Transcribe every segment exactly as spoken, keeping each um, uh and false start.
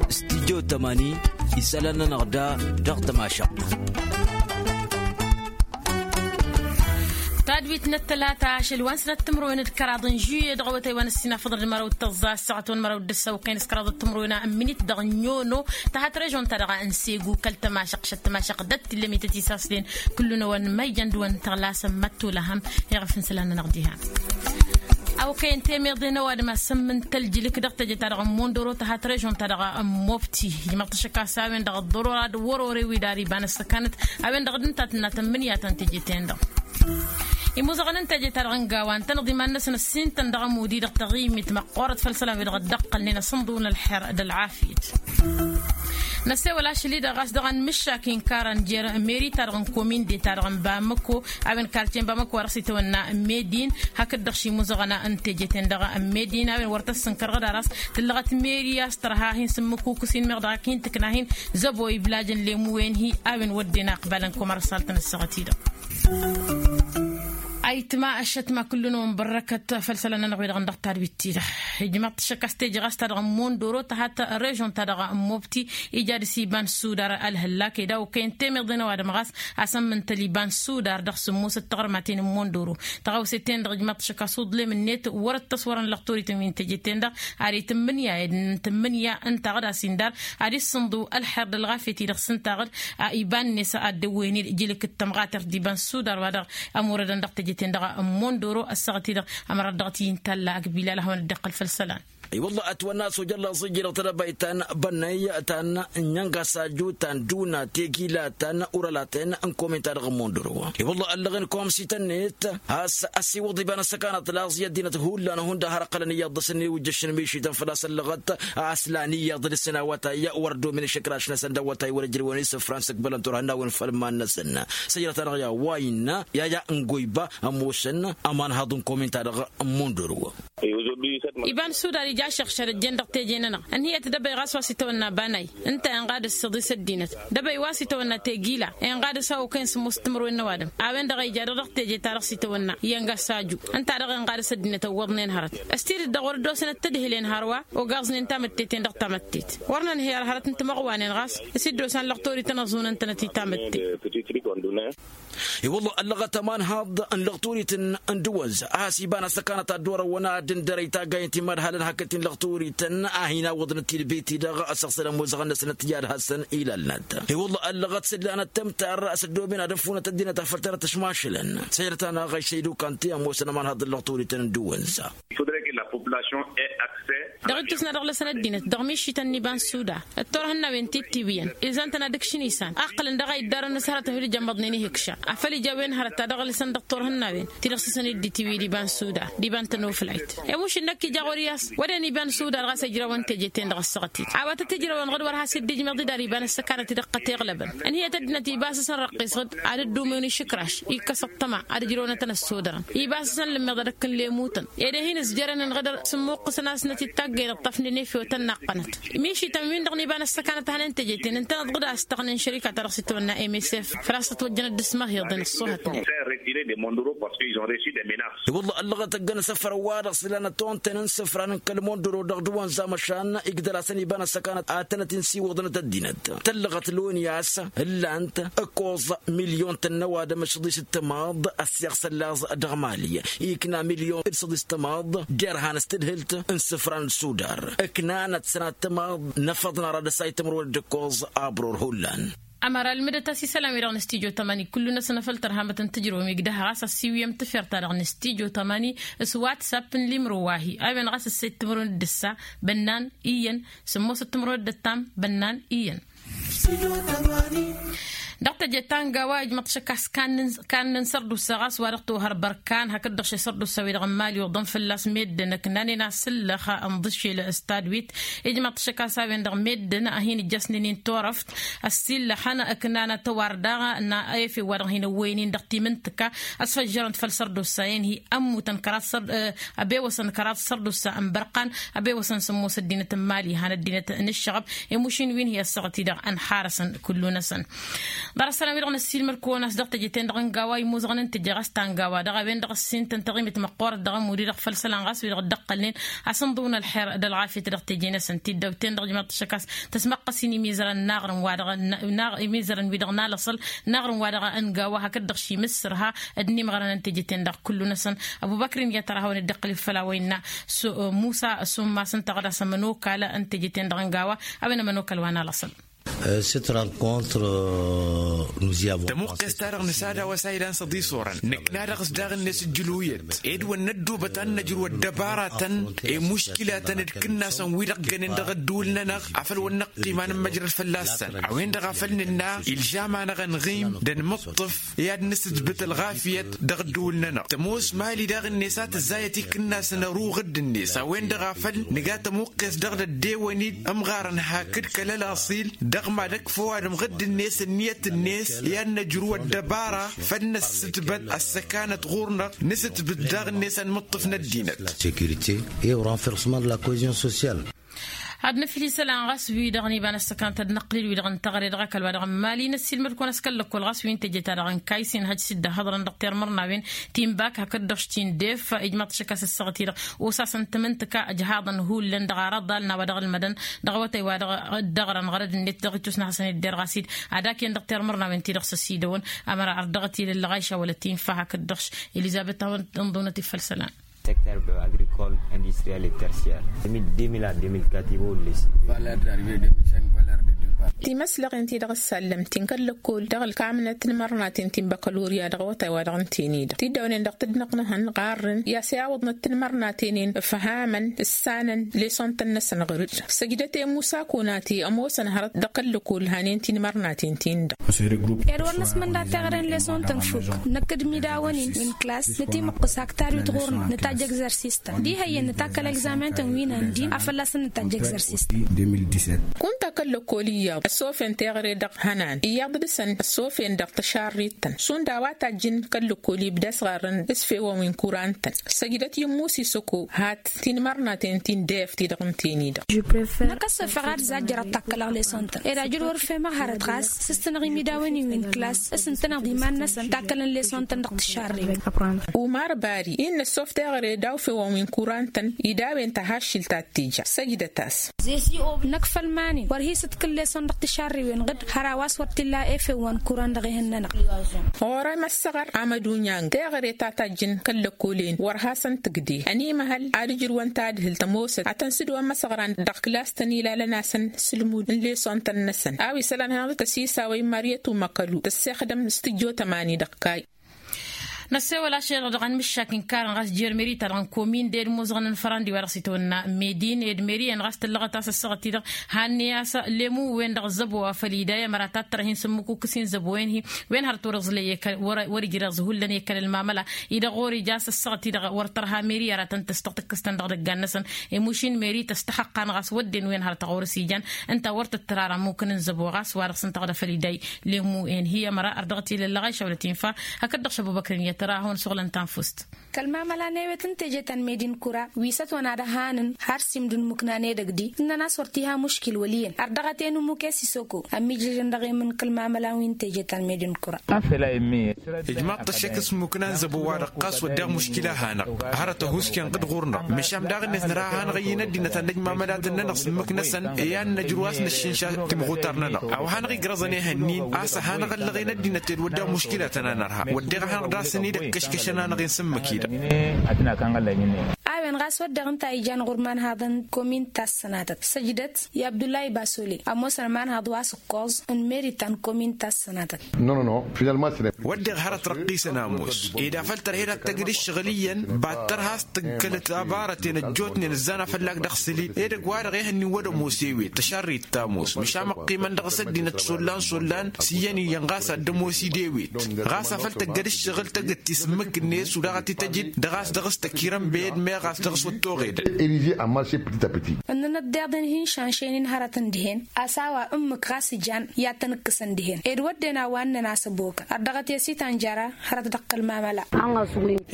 Studyo tămani isălan-nănăɣ da dăɣ-tămašăɣt. Tadwit n-ăttălata ašăl wa n-sănăt timǝrwen d-kăraḍ n-žuye dăɣ-awătay wa n-ăssinafăḍăn d-măraw d-tăẓẓa s-săɣăt wa n-măraw d-ăssăwăkăyăn s-kăraḍ timǝrwen n-minit dăɣ-n yono. Tăhat režon-ta-dăɣ n-segu kăl-tămašăɣt šăt tămašăɣt d-ăttilămit ătisaslen. Kullu-năwăn ma ijăn d-wăn tăɣlasăn măttulăhăm iɣăf n-isălan-nănăɣ diha. Awăkăyăn temeḍe n-ăwadǝm a sămmǝn tăljǝlǝk dăɣ-teje-ta-dăɣ n-mondoro tăhat režon-ta-dăɣ n-mobti. Ijmăḍ-t ašăk a-s a-wen-dăɣ ăḍḍărora d-wăr-ore wi dar iba n-ăssăkanăt a-wen-dăɣ d-ǝnta a tǝnna tămmǝnǝya ta n-teje-ten-dăɣ. Imuẓăɣăn n-teje-ta-dăɣ n-gawa ǝntăneḍ iman-năsăn ăssin-tăn dăɣ-ămud-i-dăɣ taɣimit măqqoorăt făll-isălan-wi-dăɣ ăddiqqălnen asǝnḍǝw n-ălxer d-ălɣafyăt. Năsewăl ašăl-i-dăɣ ɣas dăɣ-anmǝššak inkar ănjer meri-ta-dăɣ n-kominde-ta-dăɣ n-bamăko a-wen karce n-bamăko wa dăɣ-s itawănna n-medin. Hakd-dăɣ šimuzăɣăn n-teje-ten-dăɣ n-medin a-wen wăr tăssǝnkărăɣ d-aras tǝllăɣăt meri a-s tărha hin-sǝmmǝkukǝs-in meɣ dăɣ-ak hin-tǝkna hin-zăbo iblaj n-lemu-wen-hi a-wen wădden aqbal n-komărsalt n-ăssaɣăt-i-dăɣ. Ayǝtma ăššătma kullu-năwăn bărrăkăt făll-isălan-nănăɣ-wi-dăɣ n-dăɣ-tadwit-ti-dăɣ. Ijmăḍ-t ašăk a-s teje ɣas ta dăɣ-n mondoro tăhat režon-ta-dăɣ n-mobti ija dăr-s iba n-sudar ălhăllak ed a okăyăn temeḍe n-ăwadǝm ɣas a-s ămmǝntăl iba n-sudar dăɣ-sǝmmosăt taɣărmaten n-mondoro. Tăɣawse-ten-dăɣ ijmăḍ-t ašăk a-s uḍlem-net wăr-ăttăs wăren lăxtorit n-wi n-teje-ten-dăɣ ad-itǝmmǝnǝya ed n-tǝmmǝnǝya ǝnta ɣǝd a-s indar ad-issǝnḍǝw ălxer d-ălɣafyăt-i-dăɣ s-ǝnta ɣǝd. Iba-net ad-dd-ăwwăyăn-dd jilǝk d-tămɣatert d-iba n-sudar wa dăɣ-ămurădăn dăɣ-teje-ten-dăɣ n-mondoro ăssaɣăt-i-dăɣ ămărat dăɣ-t-i n-talla ăgg bilal a hawăn-dd-iqqăl făll-isălan. I-wălla ătwănna a-s ojălla ăẓijjădăɣ tedăbayt ta n-bănnăy ta n-inyănga s-ajju ta n-duna tegila ta n-urălaten n-komin-ta-dăɣ n-mondoro. I-wălla ăllăɣen komsităn-net a-s ăsiwăḍ iba n-ăssăkanăt laẓ i-ăddinăt hullan hundăɣ har ăqqălăn iyyăḍ dăr-săn iwǝjjăšăn mišităn făl-a-s ăllăɣăt a-s lan iyyăḍ dăr-săn awătay wăr ăddomen išǝkraš-năsăn d-awătay wăr-ǝjrǝwăn isǝfran s-ǝkbălăn turhǝnnawen făll-iman-năsăn. Săjdăt-anăɣ i-a-wa innă i-a-ya n-goyba ămoosăn ămanhaḍ-n-komin-ta-dăɣ n-mondoro. Iba n-sudar ija ašăɣšăr ăjjeen dăɣ-teje-nănăɣ ǝnhǝyăt dăbăy ɣas wa s-itawănna banay ǝnta inɣad ǝssǝḍis ăddinăt. Dăbăy wa s-itawănna tegila inɣad ăsawăkăyăn sǝmmos timǝrwen n-ăwadǝm a-wen-dăɣ a ija dăɣ-teje ta dăɣ-s itawănna iyyăn gassaju. Ǝnta-dăɣ inɣad s-ăddinăt ăwwăḍnen hărăt s-tidǝt dăɣ-wăr ăddosăn ăttădhǝlen hărwa. Ogaẓnen tamǝttet-en dăɣ-tamǝttet wăr nǝnhǝyăr hărăt n-timăɣwanen ɣas s-dd-osan lăɣtorit ănăẓunăn-tănăt i-tamǝttet. I-wălla ăllăɣăt ămanhaḍ n-lăɣturit n-dăwăz a has-iba n-ăssăkanăt ad-dd-orăwăn ad-dd-ǝndărăy taggay n-timadhalăn hakd-tin lăɣturit a hin-awǝḍnăt tilbit-i-dăɣ ăsăɣsălăn mozăɣăn-năsnăt i-ad-hasăn-ilalnăt. I-wălla ăllăɣăt s-ǝllanăt tămtar s-ăddooben ad-ǝnfunăt ăddinăt afăl tărăt ăšmašǝlăn. Săjdăt-anăɣ ăššăydukăn ti ămoosăn ămanhaḍ n-lăɣturit n-dăwăz. Dăɣ-ijjǝsna dăɣ-lăsăn ăddinăt dăɣ-mišităn n-iba n-suda d-turhǝnnawen ti t-iwǝyăn ilzăn-tăn ad-ǝkšǝn isan ăqqǝlăn dăɣ-a iddar ănnăs hărătăn wi d-ijămmăḍnen ihǝkša afăl ija a-wen hărăt ta dăɣ-lăsăn dăɣ-turhǝnnawen ti-dăɣ s-isăn-dd-itiwǝy d-iba n-suda d-iba n-tănoflayt. Emuš-in năkk ija ɣur-i a-s wăden iba n-suda dăɣ-a-s ijrawăn teje-ten-dăɣ ăssaɣăt-dd a-wa tăt-ijrawăn ɣǝd wăr has-dd-ijmăḍ-dd ar iba n-ăssăkanăt-i dăɣ-kăteɣlăbăn. Ǝnhǝyăt ăddinăt ibas-asăn răqqis ɣǝd ad-dd-umen išǝkraš ikkăs ăṭṭăma ad-ǝjrăwnătăn ăssodărăn. Ibas-asăn lǝmmiḍ ad-ǝkkǝn lemutăn ed ehin ǝzjărăn ănɣădăr s-ǝmmuqqǝsăn-asnăt-dd taggăyneḍ tafnǝnefewăt ănnaqqănăt. Mišităn-win-dăɣ n-iba n-ăssăkanăt a hănen teje-ten ǝntăneḍ ɣǝd a ăstăɣnen šărika-ta-dăɣ s-itwănna msf făl-a-s tătwăjjăn dd-ǝsmăhiḍen ăṣṣuhătnen. I-wălla ăllăɣăt ăgg-ănsăfrăn-wa-dăɣ s-lanăt onten n-isǝfran n-kăl-mondoro dăɣ-dăwănza măšan igdăr-asăn iba n-ăssăkanăt ad-tănăt-in-siwǝḍnăt ăddinăt tăllăɣăt loni a-s ǝllan-t ǝkkoẓ milyon-tăn n-ăwadǝm d-săḍis d-timaḍ ăssiɣsăllaẓ dăɣ-mali ikna milyon d-săḍis d-timaḍ derhan s-tǝdhǝlt n-isǝfran n-sudar ǝknanăt sănat timaḍ n-afăḍ n-ara dăr-s a itǝmrǝwăn d-ǝkkoẓ abror hullan. Ămăra ǝlmǝdăt-as isălan-wi-dăɣ n-studyo tămani kullu-năsăn afăl tărhamăt n-tǝjrǝwăm igdăh ɣas ăssiwǝyăm tǝfert-ta-dăɣ n-studyo tămani s-whatsapp n-limro wa-hi a-wen ɣas ǝssa ittǝmrǝwăn d-ǝssa bănnan iyyăn sǝmmosăt timǝrwen d-ǝttam bănnan iyyăn. Dăɣ-teje ta n-gawa ijmăḍ-t šăkk a-s kannăn sărdusa ɣas wa dăɣ-tohăr bărkan hakd-dăɣ šesărdusa-wi-dăɣ n-imali uḍăn fălla-s meddǝn ǝknanen asǝllăx ănḍǝšel s-tadwit. Ijmăḍ-t šăkk a-s a-wen-dăɣ meddǝn a hin-ǝjjăsnen-in turăft ăssillăxăn ǝknanăt ăwardaɣ n-efew wa dăɣ-hin-ăwwăyăn-in dăɣ-timǝntǝka ăsfăjjărăn-t făll-sărdusa-en-hi ămmutăn kăraḍ sărdusa. Ăbewăsăn kăraḍ sărdusa n-bărqan ăbewăsăn sǝmmos ăddinăt n-mali han ăddinăt n-ǝššăɣăb. Emušin wi n-hi-ăssaɣăt-i-dăɣ ănxarăsăn kullu-năsăn. Ḍarăt isălan-wi-dăɣ n-ăssiilmăr-kăwăn a-s dăɣ-teje-ten-dăɣ n-gawa imuzăɣăn n-teje ɣas ta n-gawa dăɣ-a-wen-dăɣ ăssin tăn-taɣimit măqqoorăt dăɣ-ămud-i-dăɣ făll-isălan ɣas wi-dăɣ dd-ăqqălnen, a-s ǝnḍǝwăn ălxer d-ălɣafyăt dăɣ-teje-năsăn tiddaw-ten-dăɣ ijmaḍ-t ăššăk a-s tăsmăqqăs-in imizărăn n-aɣrǝm wa dăɣ-n imizărăn-wi-dăɣ n-alăṣăl n-aɣrǝm wa dăɣ-n gawa hakd-dăɣ šimǝssǝrha d-inimɣărăn n-teje-ten-dăɣ kullu-năsăn. Ăbubăkr-in i-ad-tăr-ahăwăn dd-iqqǝl-dd făll-a-wa innă musa summas ǝnta ɣǝd-as ămănokal n-teje-ten-dăɣ n-gawa a-wen ămănokal wa n-alăṣăl. Tămuqqes-ta-dăɣ nǝsad a-wa s-a ilan s-ăḍisorăn nǝkna dăɣ-s daɣ-net ǝjjǝluyăt ed wăr năddoobăt ad-năjrǝw ăddăbaratăn i-muškilatăn d-ikǝnnasăn wi-dăɣ ǝggănen dăɣ-ăddǝwǝl-nănăɣ afăl wăr năqqim ad-nǝmmăjrăd fălla-săn a-wen-dăɣ a făl nǝnna ilžam-anăɣ ănɣim d-ănmǝṭṭǝf i-ad-nǝsǝtbǝt ălɣafyăt dăɣ-ăddǝwǝl-nănăɣ tămoos mali daɣ-net a tǝzzayăt ikǝnnasăn ăruɣ dd-net a-wen-dăɣ a făl nǝga tămuqqes dăɣ-dd-ăddewăn-dd ămɣarăn hakd kăl-ălaṣil dăɣ-mad-ăkf ăwadǝm ɣǝdd-net ǝnniyăt-net i-ad-năjrǝw ăddăbara făl năssǝtbăt ăssăkanăt ɣur-năɣ nǝsǝtbǝt daɣ-net ănmǝṭṭǝf n-ăddinăt. Securite e-o renforcement de la cohesion sociale. Ad-nǝfli isălan ɣas wi-dăɣ n-iba n-ăssăknăt ad-năqqǝlǝl wi-dăɣ n-teɣăre dăɣ-ăkall wa dăɣ-n mali n-ăssiilmăd-kăwăn a-s kăl-lăkkol ɣas wi n-teje-ta-dăɣ n-kaysin hăj s-dd-ăhhăḍrăn dăɣ-tirmărnawen ti n-bak hakd-dăɣ-š ti n-def ijmaḍ-t šăkk a-s ăssaɣăt-i-dăɣ osa-săn tǝmǝntǝka ǝjhaḍăn hullan dăɣ-araḍal n-a-wa dăɣ-ălmădăn dăɣ-awătay wa dăɣ-dd-ăɣrăn ɣărăd-net dăɣ-itus n-ad-hasăn-dd-derɣas-dd ad-akǝyăn dăɣ-tirmărnawen-ti-dăɣ s-ăsidăwăn. Ămăra ărdăɣăt-i lăllăɣayša wăla ti n-fa hakd-dăɣ-š elizăbet a-wen ănḍunăt-dd făll-isălan. Secteur agricole industriel et tertiaire de mille deux mille quatre i-wăr-dd-lesi. Timăslăɣen-ti-dăɣ ăssallăm-ten kăl-lăkkol dăɣ-ălkamnăt n-imărnaten ti n-băkălorya dăɣ-awătay wa dăɣ-ǝnten-i-dăɣ tiddawnen dăɣ-tǝdnăɣ n-ehăn ɣarrǝn i-asăyawăḍnăt tinmărnaten-en ǝfhamăn ǝssanăn lesson-tăn-năsăn ɣǝr-dd. Săjdăt i-musa kunati ămoosăn hărăt dăɣ-kăl-lăkkol hanen tinmărnaten-tin-dăɣ. Ed wăr năsmănda teɣăre n-lesson-tăn fukk năkk d-imidawăn-in wi n-klass nătimǝqqǝs hak tarwit ɣur-năɣ nǝtajj egzărsistăn diha iyyăn nǝtakkăl egzamen-tăn wi n-andi a fălla-săn nǝtajj egzărsistăn. Kunta kăl-lăkkol iyyăḍ ăsofen teɣăre dăɣ-hănan iyyăḍ dăɣ-săn ăsofen dăɣ-tăšarrit-tăn šund a-wa tajjǝn kăl-lăkkol ibda s-ɣarrăn s-fewăn wi n-kuran-tăn. Săjdăt i-musi săko hat tinmărnaten ti n-def ti-dăɣ ǝnten-i-dăɣ. Năkk ăssofeɣ ad-zajjăr ad-takkălăɣ lesson-tăn ed ajăl wăr-fehmăɣ hărăt ɣas s-ǝstănăɣ imidawen-in wi n-klass s-ǝntăneḍ iman-năsăn takkălăn lesson-tăn dăɣ-tǝššarrewăn. Umar bari innă ăssof teɣăre daw-fewăn wi n-kuran-tăn ida a-wen tahaššilt a t-tija săjdăt-as. Năkk făll-iman-in wăr hi-sǝtkǝl lesson dăɣ-tišarriwen ɣǝd hăr a-wa s-wăr t-illa efew wa n-kuran dăɣ-ehăn-nănăɣ. Ɣur-em ăssăɣăr amădunyang teɣăre ta tajjǝn kăl-lăkkolen wăr hasăn-tǝgde ănimăhăl ad-ǝjrǝwăn tadhǝlt ămoosăt ad-tăn-sǝdǝwăn imăsăɣran dăɣ-klass-tăn ilalăn-asăn s-ǝlmud n-lesson-tăn-năsăn a-wa isălan hanăɣ-dd-tăsisawăy măryăt umăkălu tăssexdăm s-tǝjjo tămani dăɣ-kayy. Năssewăl ašăl-i-dăɣ dăɣ-anmǝššak inkarăn ɣas jer-meri-ta-dăɣ n-komin d-ed imuzăɣăn n-fărandi wa dăɣ-s itwănna medin ed meri-en ɣas tǝllăɣăt a-s ăssaɣăt-i-dăɣ hannăy a-s lemu-wen-dăɣ ăzzăbo wa făl iday ămăra tattărăh-in s-ǝmmǝk ukǝs-i n-zăbo-en-hi wen hărăt wăr-ǝẓlăy ekăl wăr-ija a-s ăssăɣăt-i-dăɣ ɣur-ija a-s ăssaɣăt-i-dăɣ wăr tărha meri ara tăn-tăstăɣ tǝkkǝs-tăn dăɣ-idăggan-năsăn. Emuš-in meri tăstăxăqqa-n ɣas wădden wen hărăt ɣur-s ijan ǝnta wăr tǝttǝr ara ǝmmǝk n-inzăbo ɣas wa dăɣ-s ǝnta ɣǝd a făl iday lemu-en-hi ămăra ărdăɣ-t-ila ǝllăɣayša wăla t-infa. Hakd-dăɣ šăbubăkren i-ad-tăra a hawăn-suɣǝlăn tanfust. Kăl-mamăla n-ewet n-teje ta n-medin kura wi s-ătwănna d-ăhanăn har s-imdǝn imuknan edăgg-di ǝnnăn a-s wăr t-iha muškil wăl' iyyăn ărdăɣăt-en ǝmmǝk i-sisoko ămmiijrǝjăn dăɣ-emǝn kăl-mamăla wi n-teje ta n-medin kura. Ijmaḍ-t ăššăk s-imuknan zăbo-wa-dăɣ ɣas wădden muškila a hanăɣ hărăt ăhuusken ɣǝd ɣur-năɣ măšan daɣ-net năra a hanăɣ-ăyy n-ăddinăt a n-ăj mamălatăn-nănăɣ s-ǝmmǝk-năsăn i-ad-năjrǝw a-s năššǝnša timɣutar-nănăɣ a-wa hanăɣ-igrăẓăn ehăn-in a-s ăhanăɣ-ăllăɣen ăddinăt ed wădden muškilatăn a nărha wădden a hanăɣ-dd-asăn-dd-ăkkăškăšăn-anăɣ-en s-ǝmmǝk-i-dăɣ. A-wen ɣas wădden ǝnta a ijan ɣur-imanhaḍăn n-komin ta s-sănatăt săjdăt i-abdullahi basole ămoosăn ămanhaḍ wa s-ǝkkoẓ n-meri ta n-komin ta s-sănatăt. Wădden hărăt răqqisăn ămoos ed afăl tărhed ad-tăgg d-ǝššăɣǝl iyyăn battăr has-tǝggkălăt abarăten ăjjootnen ǝzzan afăllag dăɣ-isǝli edăgg-wa-dăɣ ehăn n-iwwăd ămoos ewet tăšarrit ta ămoos măšan măqqimăn dăɣ-s ăddinăt šollan šollan s-iyyăn iyyăn ɣas ad-dd-ămoos-dd ewet ɣas afăl tăgg-dd-ǝššăɣǝl tăgg-t tisǝmmǝk-net ulaɣăt-i tăjǝd dăɣ-a-s dăɣ-s tăkirăn beyăd. Ɣas dăɣ-s wăr t-oɣedăn. Irize a marše petit a petit. Ǝnnănăt diḍen hin-šanšăynen hărătăn dihen a-s a-wa ǝmmǝk ɣas ijan i-ad-tăn-ǝkkǝsăn dihen ed wădden a-wa ǝnnăn a-s ăbokăn ărdăɣăt i-ăsitan jara hărăt dăɣ-kăl-mamăla.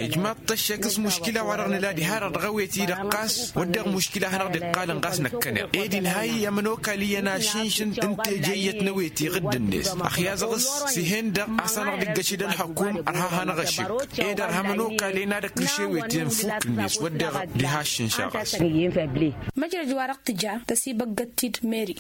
Ijmaḍ-t ăššăk s-muškila wa-dăɣ nǝla diha-dăɣ dăɣ-ewet-i-dăɣ ɣas wădden muškila a hanăɣ-dd-iqqalăn ɣas năkkăneḍ ed inha-i ămănokal iyyăn ašǝnšǝn n-teje iyyăt n-ewet iɣǝdd-net ăxyazăɣ-s s-ihen-dăɣ a-s hanăɣ-dd-iggăšed ălxăkum ărha hanăɣ-ašǝk ed ărha ămănokal iyyăn ad-ăkrǝš ewet n-fukk-net wădden diha ašǝnša ɣas. Măjrăj wa dăɣ-tǝja tăsibăggăt-t-dd meri.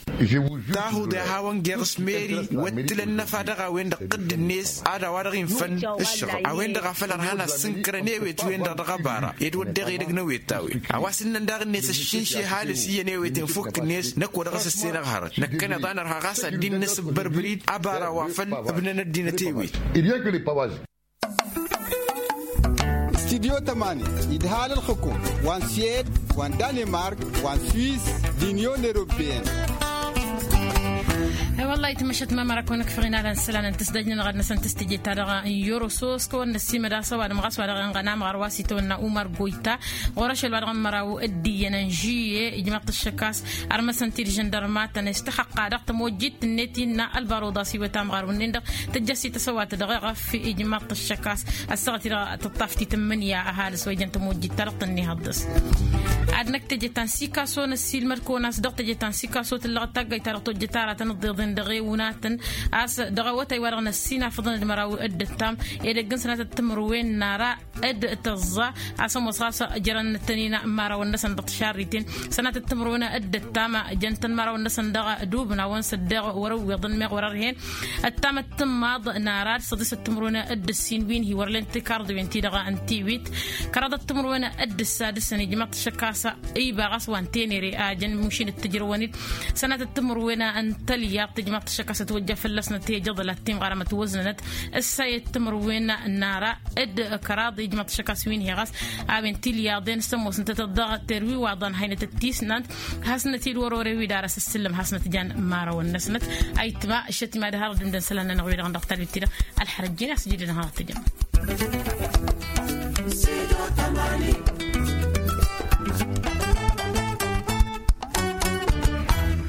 Tahuḍe a hawăn-geɣ s-meri wăt tǝla ănnăfa dăɣ-a-wen-dăɣ tădd-net ad-a-wa-dăɣ infăn ǝššăɣǝl a-wen-dăɣ a făl ărhan asǝnkărăn ewet-wen-dăɣ dăɣ-ăbara ed wădden edăgg n-ewet-a-wen a-wa s-ǝnnăn daɣ-net ăššǝnše ăhalǝs iyyăn ewet n-fukk-net năkk wa dăɣ-s ăssenăɣ hărăt năkkăneḍ a nărha ɣas ad-dd-innăs ǝbbărbăr-dd ăbara wa făl ǝbnăn ăddinăt ewet. Studyo tămani idhal ălxǝkum wa n-swed wa n-danemark wa n-swiss d-inyon europeyăn. I-wălla-hi tǝmmăšat mamăra kăwăn-ǝkfăɣ inalăn isălan n-tǝsdăj-nănăɣ ad-năsăn tǝstǝjǝt-ta-dăɣ n-yorosos kăwăn-năssiimăd a-s ăwadǝm ɣas wa dăɣ-inɣănam ɣăr wa s-itawănna umăr goyta ɣur-ašăl wa dăɣ-ămmăraw d-iyyăn n-žuye ijmăḍ-t ăššăk a-s ărmăsăn-t-dd žăndărmatăn s-tăxăqqa dăɣ-tămojjit-net innă ălbaruḍ a-s iwăt amɣarw-nin-dăɣ tǝjjăs-i tăsăwatăt dăɣ-eɣăf ijmăḍ-t ăššăk a-s ăssaɣăt-i-dăɣ tǝṭṭaf titǝmmǝnǝya ăhalǝs wa ijăn tămojjit-ta dăɣ-tănnihăḍ dăɣ-s. Ad-năkk teje ta n-sikaso năssiilmăd-kăwăn a-s dăɣ-teje ta n-sikaso tǝllăɣăt taggayt ta dăɣ-tojjăt aratăn ǝḍḍeḍen dăɣ-ewǝnatăn a-s dăɣ-awătay wa dăɣ-năssinafăḍăn d-măraw d-ǝttam edăgg n-sănatăt timǝrwen n-ara d-tăẓẓa a-s ămoos ɣas jărăn tăn-in imărawăn-năsăn dăɣ-tišarriten sănatăt timǝrwen d-ǝttam jăn-tăn imărawăn-năsăn dăɣ-dubnawăn s-ăddeɣ wăr-ǝwwiḍăn meɣ wăr-ărhen ăttamăt tǝmmaḍ n-ara d-săḍisăt timǝrwen d-ǝssin wi n-hi-wăr len tikarḍiwen-ti-dăɣ n-tiwit kăraḍăt timǝrwen d-ǝssa dăɣ-săn ijmaḍ-t ăššăk a-s iba ɣas wa n-tenere a jăn mušin d-tǝjrăwăn-dd sănatăt timǝrwen n-tălyaḍt ijmaḍ-t ăššăk a-s ătwăjja fălla-snăt i-ijăḍăl ad-timɣarăm ătwăznănăt ǝssa i-timǝrwen n-ara d-kăraḍ ijmaḍ-t ăššăk a-s wi n-hi ɣas a-wen tilyaḍen s-ămoosnătăt dăɣ-terwiwaḍăn haynăt d-tisnant hasnăt-dd wăr-ore wi d-ara s-ǝssǝllăm hasnăt jan imărawăn-năsnăt. Ayǝtma šăt ima d-harăt d-imdăn isălan-nănăɣ wi-dăɣ n-dăɣ talbit-ti-dăɣ ălxărăjjin a-s jidădăn harăt tǝjăm.